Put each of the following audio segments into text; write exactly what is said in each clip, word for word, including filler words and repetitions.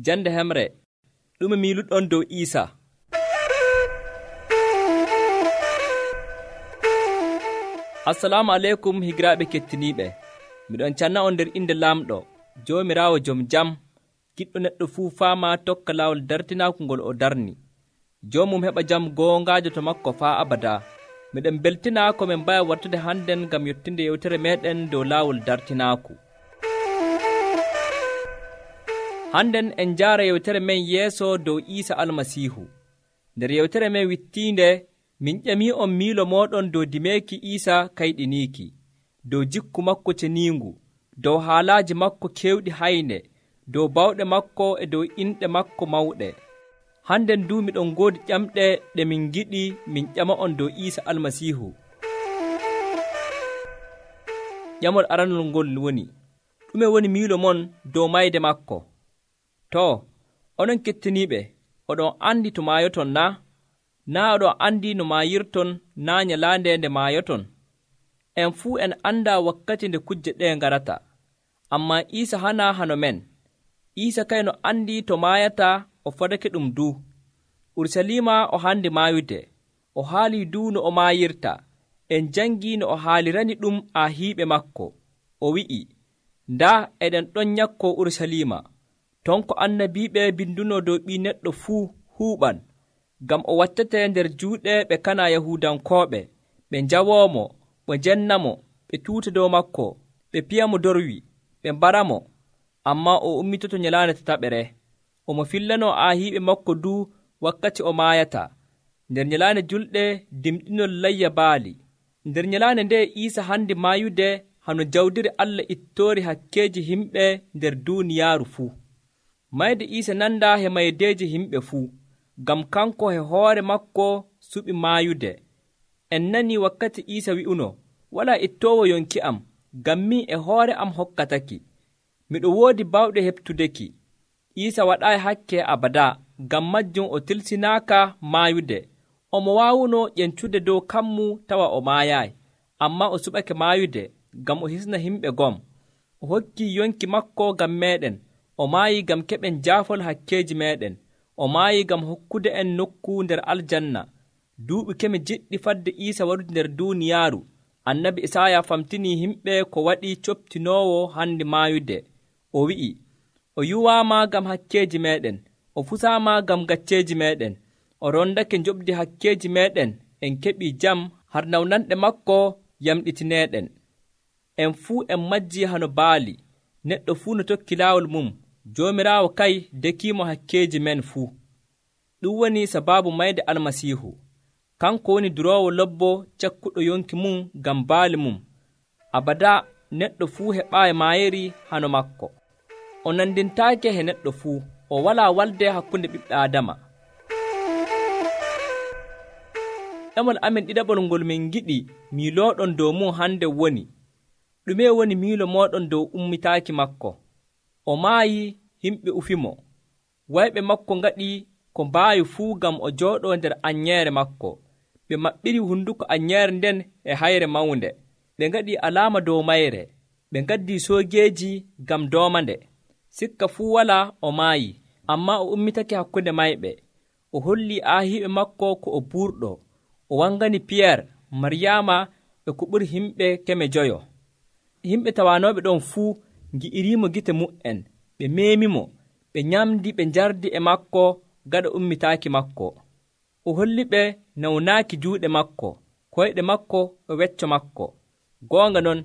Jande hemre ɗume miiluɗon dow Iisa? Assalamu aleykum higiraaɓe kettiniiɓe. Miɗon canna on nder inde Laamɗo, Joomiraawo jom jam, giɗɗo neɗɗo fuu faama tokka laawol dartinaaku ngol o darni. Joomum heɓa jam goongaajo to makko faa abada. Miɗen beltina ko min mbaya wartude hannden ngam yottinde yewtere meeɗen dow laawol dartinaaku. Hannden en njaara yewtere men yeeso dow Iisa Almasiihu. Nder yewtere men wittiinde min ƴamii'on miilo mooɗon dow dimeeki Iisa kayɗiniiki, dow jikku makko ceniingu, dow haalaaji makko keewɗi hayne, dow bawɗe makko e dow inɗe makko mawɗe. Hannden du miɗon ngoodi ƴamɗe ɗe min ngiɗi min ƴama'on dow Iisa Almasiihu. Ƴamol aranol ngol woni: ɗume woni miilo mon dow mayde makko? Too, onon kettiniiɓe, oɗon andi to maayoton naa? Naa oɗon andi no maayirton naa nyalaande nde maayoton? En fuu en andaa wakkati nde kujje ɗee ngarata. Ammaa Iisa hanaa hano men. Iisa kayno andi to maayata o fadake ɗum du. Ursaliima o handi maayude. O haalii du no o maayirta. En jangii no o haalirani ɗum aahiiɓe makko. O wi'i, ndaa eɗen ɗon nyakkoo Ursaliima, ton ko annabiiɓe binduno dow Ɓii Neɗɗo fuu huuɓan, ngam o wattate nder juuɗe ɓe kana Yahuudankooɓe, ɓe njawoomo, ɓe njennamo, ɓe tuuta dow makko, ɓe piyamo dorwi, ɓe mbaramo. Ammaa o ummitoto nyalaande tataɓere. Omo fillanoo aahiiɓe makko du wakkati o maayata, nder nyalaande julɗe dimɗinol layya baali. Nder nyalaande nde Iisa handi maayude hano jawdiri Allah ittoori hakkeeji himɓe nder duuniyaaru fuu. Mayde Iisa nandaa he maydeeji himɓe fuu, ngam kanko he hoore makko suɓi maayude. En nanii wakkati Iisa wi'uno, walaa ittoowo yonki am, ngam min e hoore am hokkataki. Miɗo woodi bawɗe heɓtudeki. Iisa waɗaayi hakke abadaa, ngam majjum o tilsinaaka maayude. Omo waawuno ƴencude dow kammu tawa o maayaayi, ammaa o suɓake maayude, ngam o hisna himɓe gom. O hokkii yonki makko ngam meeɗen. O maayii ngam keɓen jaafol hakkeeji meeɗen. O maayii ngam hokkude en nokku nder aljanna. Duuɓi keme jiɗɗi fadde Iisa warude nder duuniyaaru, annabi Isaaya famtinii himɓe ko waɗi coptinoowo handi maayude. O wi'i, o yuwaama ngam hakkeeji meeɗen, o fusaama ngam gacceeji meeɗen, o rondake njoɓdi hakkeeji meeɗen, en keɓii jam har nawnanɗe makko yamɗitineeɗen. En fuu en majjii hano baali, neɗɗo fuu no tokki laawol mum. Joomiraawo kay dekiimo hakkeeji men fuu. Ɗum woni sabaabu mayde Almasiihu. Kanko woni duroowo lobbo cakkuɗo yonki mum ngam baali mum. Abadaa neɗɗo fuu heɓaayi maayeri hano makko. O nandintaake he neɗɗo fuu. O walaa walde hakkunde ɓiɓɓe Aadama. Ɗemol amin ɗiɗaɓol ngol min ngiɗi miilooɗon dow mum hande woni: ɗume woni miilo mooɗon dow ummitaaki makko? O maayi, himɓe ufimo. Wayɓe makko ngaɗi ko mbaawi fuu ngam o jooɗoo nder anyeere makko. Ɓe maɓɓiri hunduko anyeere nden e hayre mawnde. Ɓe ngaɗi alaama dow mayre. Ɓe ngaddii soogeeji ngam doomande. Sikka fuu walaa o maayi, ammaa o ummitake hakkunde mayɓe. O hollii aahiiɓe makko ko o buurɗo. O wangani Piyeer, Maryaama e ko ɓuri himɓe keme joyo. Himɓe tawaanooɓe ɗon fuu ngi'iriimo gite mu'en. Ɓe meemimo, ɓe nyamdi ɓe njardi e makko gaɗa ummitaaki makko. O holli ɓe nawnaaki juuɗe makko, koyɗe makko e wecco makko. Goonga non,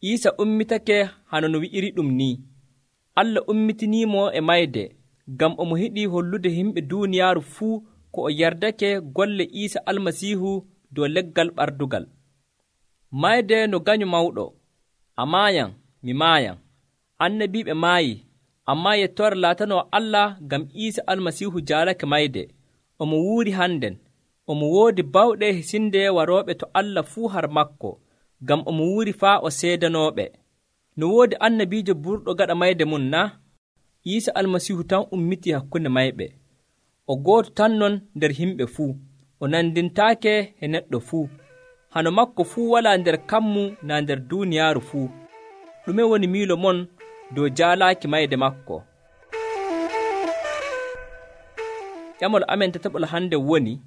Iisa ummitake hano no wi'iri ɗum ni. Allah ummitiniimo e mayde, ngam omo yiɗi hollude himɓe duuniyaaru fuu ko o yardake golle Iisa Almasiihu dow leggal ɓardugal. Mayde no ganyu mawɗo. A maayan, mi maayan. Annabiiɓe maayi, ammaa yettoore laatanoo Allah ngam Iisa Almasiihu jaalake mayde. Omo wuuri hannden. Omo woodi bawɗe hisinde warooɓe to Allah fuu har makko, ngam omo wuuri faa o seedanooɓe. No woodi annabiijo burɗo gaɗa mayde mum naa? Iisa Almasiihu tan ummitii hakkunde mayɓe. O gooto tan non nder himɓe fuu. O nandintaake e neɗɗo fuu. Hano makko fuu walaa nder kammu naa nder duuniyaaru fuu. Ɗume woni miilo mon dow jaalaaki mayde makko? ƴamol amen tataɓol hande woni,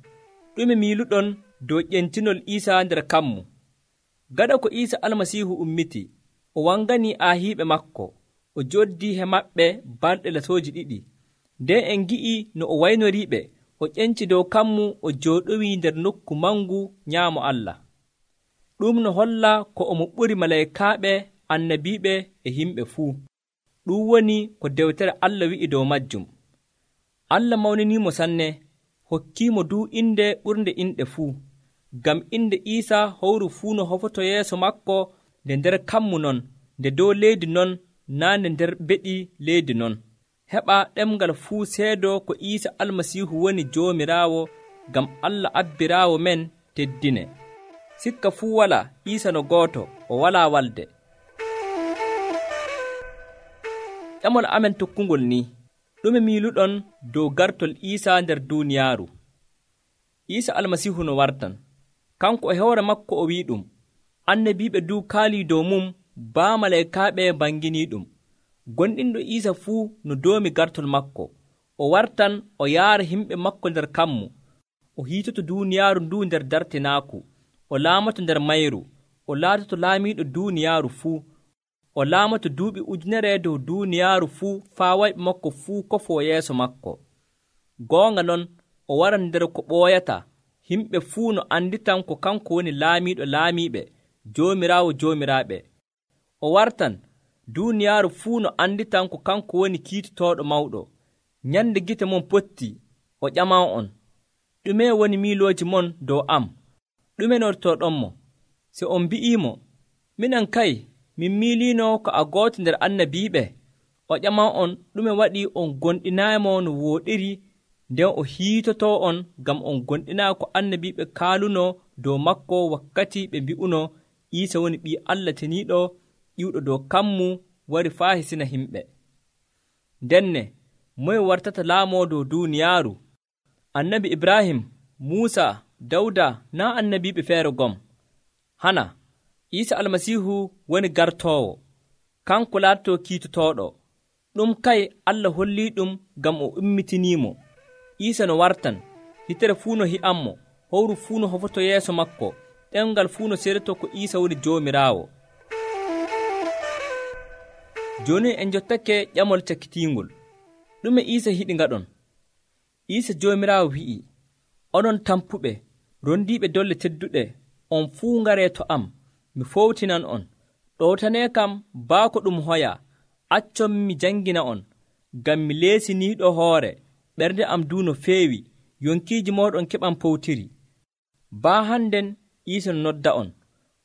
ɗume miiluɗon dow ƴentinol Iisa nder kammu? Gaɗa ko Iisa Almasiihu ummiti, o wanganii aahiiɓe maako, o jooddii he maɓɓe balɗe latooji ɗiɗi. Nden en ngi'i no o waynoriiɓe, o ƴenci dow kammu, o jooɗowii nder nokku mangu nyaamo Allah. Ɗum no holla ko omo ɓuri malaykaaɓe, annabiiɓe e yimɓe fuu. Ɗum woni ko dewtere Allah wi'i dow majjum. Allah mawniniimo sanne, hokkiimo duu inde ɓurnde inɗe fuu, ngam inde Iisa howru fuu no hofoto yeeso maako nde nder kammu non, nde dow leydi non, naa nde nder beɗi leydi non. Heɓa ɗemngal fuu seedo ko Iisa Almasiihu woni Joomiraawo, ngam Allah abbiraawo men teddine. Sikka fuu walaa Iisa no gooto, o walaa walde. Ƴamol amen tokkungol ni, ɗume miiluɗon dow gartol Iisa nder duuniyaaru? Iisa Almasiihu no wartan, kanko e hoore makko o wi'i ɗum, annabiiɓe duu kaalii dow mum, baa malaykaaɓe banginii ɗum. Gonɗinɗo Iisa fuu no doomi gartol makko, o wartan o yaara himɓe makko nder kammu, o hiitoto duuniyaaru nduu nder dartinaaku, o laamato nder mayru, o laatoto laamiiɗo duuniyaaru fuu, o laamato duuɓi ujunere dow duuniyaaru fuu faa wayɓe makko fuu kofoo yeeso makko. Goonga non, o waran nder ko ɓooyata, himɓe fuu no anditan ko kanko woni laamiiɗo laamiiɓe, Joomiraawo joomiraaɓe. O wartan duuniyaaru fuu no anditan ko kanko woni kiitotooɗo mawɗo. Nyande gite mon potti, o ƴaman on, ɗume woni miilooji mon dow am? Ɗume nortoɗonmo? Se on mbi'iimo, minen kay, min miiliino ko a gooto nder annabiiɓe, o ƴaman on, ɗume waɗi on gonɗinaaymo no wooɗiri, nden o hiitotoo on ngam on gonɗinaa ko annabiiɓe kaaluno dow makko wakkati ɓe mbi'uno Iisa woni ɓii Allah teniiɗo, ƴiwɗo dow kammu, wari faa hisina himɓe. Ndenne, moye wartata laamoo dow duuniyaaru? Annabi Ibrahim, Muusa, Dawda, naa annabiiɓe feere gom? Hana, Iisa Almasiihu woni gartoowo, kanko laatotoo kiitotooɗo. Ɗum kay Allah hollii ɗum ngam o ummitiniimo. Iisa no wartan, hitere fuu no hi'anmo, howru fuu no hofoto yeeso makko, ɗemngal fuu no seedoto ko Iisa woni Joomiraawo. Jooni en njottake ƴamol cakkitiingol. Ɗume Iisa hiɗi ngaɗon? Iisa Joomiraawo wi'i, onon tampuɓe, rondiiɓe dolle tedduɗe, on fuu ngaree to am, mi fowtinan on. Ɗowtanee kam baako ɗum hoya, accon mi jangina on, ngam mi leesiniiɗo hoore, ɓernde am duu no feewi, yonkiiji mooɗon keɓan powtiri. Baa hannden Iisa no nodda on,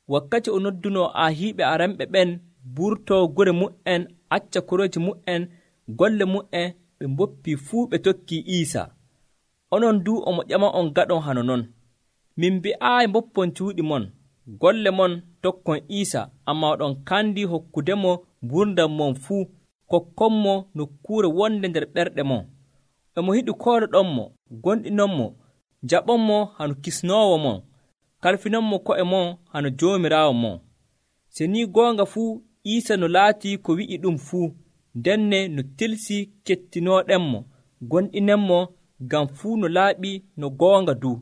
wakkati o noddunoo aahiiɓe aranɓe ɓen burtoo gure mu'en, acca korooji mu'en, golle mu'en, ɓe mboppii fuu ɓe tokkii Iisa. Onon duu omo ƴama on gaɗon hano non. Min mbi'aayi mboppon cuuɗi mon, golle mon tokkon Iisa, ammaa oɗon kandi hokkudemo gurdam mon fuu, kokkonmo nokkuure wonde nder ɓerɗe mon. Emo hiɗi kooloɗonmo, gonɗinonmo, jaɓonmo hano kisnoowo mon, kalfinonmo ko'e mon hano Joomiraawo mon. Se ni goonga fuu Iisa no laatii ko wi'i ɗum fuu, ndenne no tilsi kettinooɗenmo, gonɗinenmo, ngam fuu no laaɓi no goonga duu.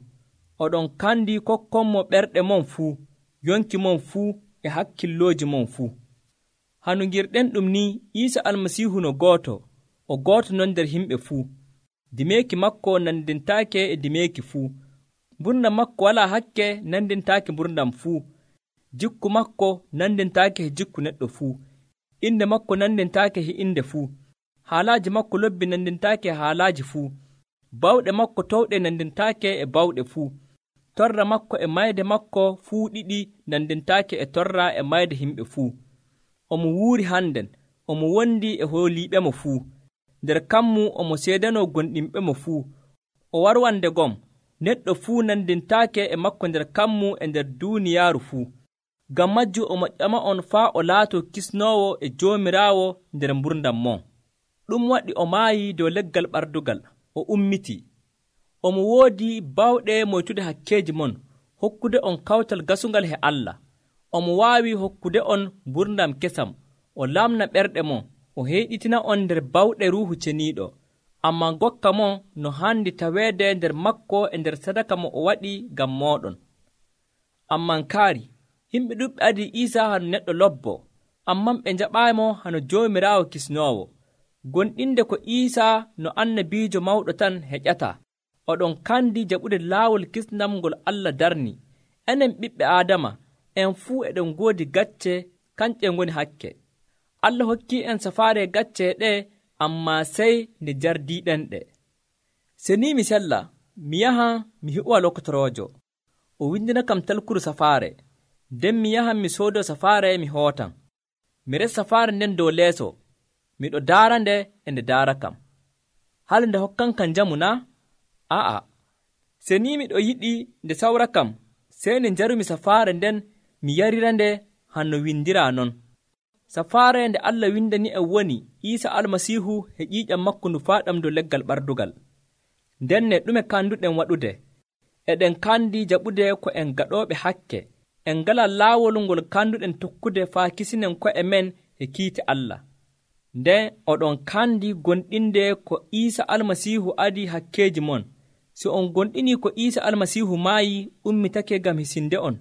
Oɗon kandi kokkonmo ɓerɗe mon fuu, yonki mon fuu e hakkillooji mon fuu. Hano ngirɗen ɗum ni, Iisa Almasiihu no gooto, o gooto non nder himɓe fuu. Dimeeki makko nandintaake e dimeeki fuu. Mburdam makko walaa hakke nandintaake mburdam fuu. Jikku makko nandintaake e jikku neɗɗo fuu. Inde makko nandintaake e inde fuu. Haalaaji makko lobbi nandintaake e haalaaji fuu. Bawɗe makko towɗe nandintaake e bawɗe fuu. Torra makko e mayde makko fuu ɗiɗi nandintaake e torra e mayde himɓe fuu. Omo wuuri hannden, omo wondi e hooliiɓemo fuu. Nder kammu omo seedanoo gonɗinɓemo fuu. O warwande gom, neɗɗo fuu nandintaake e makko nder kammu e nder duuniyaaru fuu. Ngam majjum omo ƴama on faa o laatoo kisnoowo e Joomiraawo nder mburdam mon. Ɗum waɗi o maayi dow leggal ɓardugal, o ummitii. Omo woodi bawɗe moytude hakkeeji mon, hokkude on kawtal gasungal he Allah. Omo waawi hokkude on mburdam kesam, o lamna ɓerɗe mon, o heyɗitina on nder bawɗe Ruuhu Ceniiɗo. ammaa ngokka mo no handi taweede nder makko e nder sadaka mo o waɗi ngam mooɗon. Ammaa kaari yimɓe ɗuɓɓe adi Iisa hano neɗɗo lobbo, ammaa ɓe njaɓaaymo hano Joomiraawo kisnoowo. Gonɗinde ko Iisa no annabiijo mawɗo tan heƴataa. Oɗon kandi jaɓude laawol kisnam ngol Allah darni. Enen ɓiɓɓe Aadama en fuu eɗen ngoodi gacce, kanƴe ngoni hakke. Allah hokkii en safaare gacce ɗe, ammaa sey nde jardiiɗen ɗe. Se ni mi sella, mi yahan mi hiɓowa lokotoroojo, o windina kam talkuru safaare. Nden mi yahan mi soodoo safaare mi hootan. Mi resa safaare nden dow leeso, miɗo daara nde e nde daara kam. Hali nde hokkan kam njamu na? A'a, se ni miɗo yiɗi nde sawra kam, sey nde njarumi safaare nden mi yarira nde hanno windiraa non. Safaare nde Allah windani en woni Iisa Almasiihu e ƴiiƴam makko ndu faaɗam dow leggal ɓardugal. Nden ne ɗume kanduɗen waɗude? Eɗen kandi jaɓude ko en gaɗooɓe hakke. En ngalaa laawol ngol kanduɗen tokkude faa kisinen ko'e men e kiite Allah. Nden oɗon kandi gonɗinde ko Iisa Almasiihu adi hakkeeji mon. Si on gonɗinii ko Iisa Almasiihu maayi ummitake ngam hisinde on,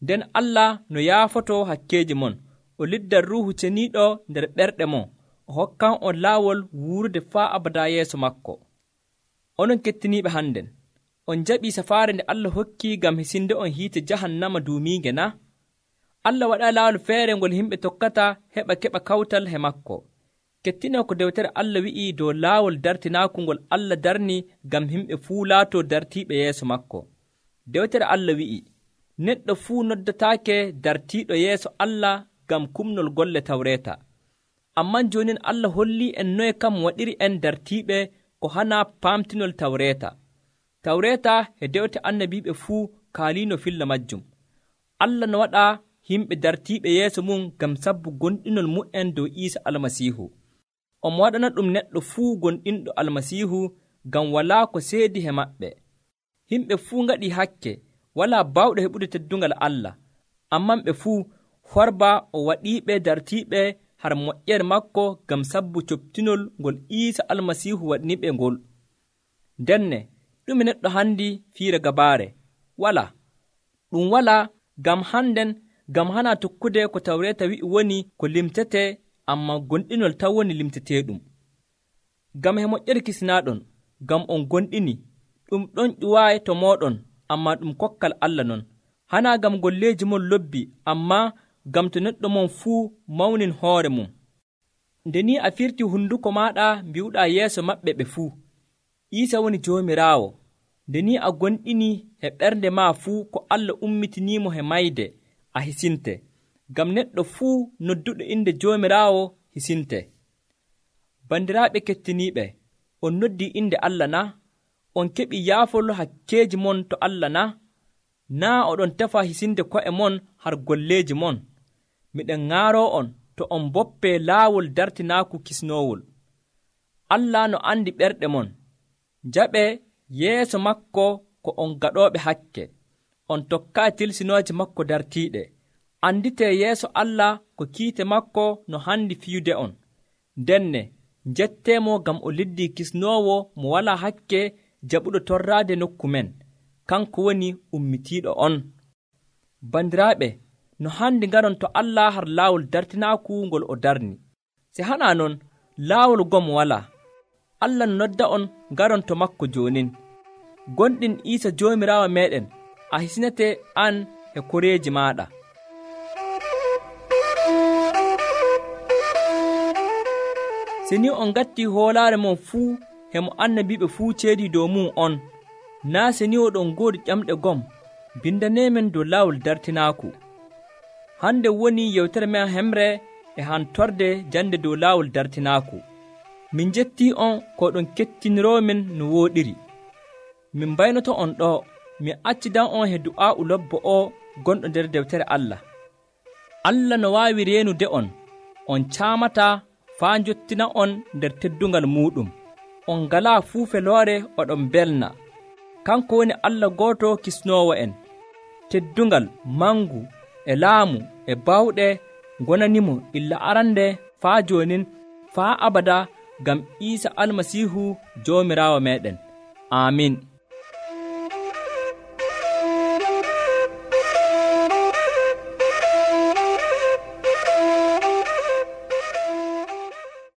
nden Allah no yaafoto hakkeeji mon, o liddan ruuhu ceniiɗo nder ɓerɗe mon, o hokkan on laawol wuurde faa abada yeeso makko. Onon kettiniiɓe hannden, on jaɓii safaare nde Allah hokki ngam hisinde on hiite jahannama duumiinge na? Allah waɗaa laawol feere ngol yimɓe tokkata heɓa keɓa kawtal he makko. Kettinoo ko dewtere Allah wi'ii dow laawol dartinaaku ngol Allah darni ngam yimɓe fuu laatoo dartiiɓe yeeso makko. Dewtere Allah wi'ii, neɗɗo fuu noddataake dartiiɗo yeeso Allah ngam kumnol golle tawreeta. Amman joonin Allah hollii en noye kam waɗiri en dartiiɓe ko hanaa paamtinol tawreeta. Tawreeta e dewte annabiiɓe fuu kaaliino filla majjum. Allah no waɗa yimɓe dartiiɓe yeeso mum ngam sabbu gonɗinol mu'en dow Iisa Almasiihu. Omo waɗana ɗum neɗɗo fuu gonɗinɗo Almasiihu ngam walaa ko seedi he maɓɓe. Yimɓe fuu ngaɗii hakke, walaa baawɗo heɓude teddungal Allah, amman ɓe fuu horba o waɗiiɓe dartiiɓe har moƴƴere makko ngam sabbu coptinol ngol Iisa Almasiihu waɗniɓe ngol. Ndenne ɗume neɗɗo handi fiira gabaare? Walaa. Ɗum walaa ngam hannden ngam hana tokkude ko tawreeta wi'i woni ko limtetee, ammaa gonɗinol taw woni limteteeɗum. Ngam he moƴƴere kisinaaɗon, ngam on gonɗini, ɗum ɗon ƴuwaayi to mooɗon, ammaa ɗum kokkal Allah non. Hanaa ngam golleeji mon lobbi, ammaa ngam to neɗɗo mon fuu mawnin hoore mum. Nde ni a firti hunduko maaɗa mbi'uɗaa yeeso maɓɓe ɓe fuu, Iisa woni Joomiraawo. Nde ni a gonɗini he ɓernde maa fuu ko Allah ummitiniimo he mayde, a hisinte, ngam neɗɗo fuu nodduɗo inde Joomiraawo hisinte. Bandiraaɓe kettiniiɓe, on noddii inde Allah na? On keɓii yaafol hakkeeji mon to Allah na? Naa oɗon tefa hisinde ko'e mon har golleeji mon. Miɗen ŋaaroo on to on boppee laawol dartinaaku kisnoowol. Allah no andi ɓerɗe mon. Njaɓee yeeso makko ko on gaɗooɓe hakke. On tokkaa tilsinooje makko dartiiɗe. Anditee yeeso Allah ko kiite makko no handi fiyude on. Ndenne njetteemo ngam o liddii kisnoowo mo walaa hakke jaɓuɗo torraade nokku men. Kanko woni ummitiiɗo on. Bandiraaɓe, no handi ngaron to Allah har laawol dartinaaku ngol o darni. Se hanaa non, laawol gom walaa. Allah no nodda on ngaron to makko joonin. Gonɗin Iisa Joomiraawo meeɗen, a hisinete an e koreeji maaɗa. Se ni on gatti hoolaare mon fuu hemo annabiiɓe fuu ceedii dow mum on, naa se ni oɗon ngoodi ƴamɗe gom, bindaneemen dow laawol dartinaaku. Hande woni yewtere men hemre e hantorde jande dow laawol dartinaaku. Min jettii on ko ɗon kettiniroomin no wooɗiri. Min mbaynoto on ɗo, min accidan on he du'aa'u lobbo o gonɗo nder dewtere Allah. Allah no waawi reenude on, on caamataa faa njottina on nder teddungal muuɗum. On ngalaa fuu feloore oɗon belna. Kanko woni Allah gooto kisnoowo en. Teddungal, mangu, e laamu, e bawɗe gonanimo illa arande faa joonin, faa abada, ngam Iisa almasiihu joomiraawo meɗen. Aamin.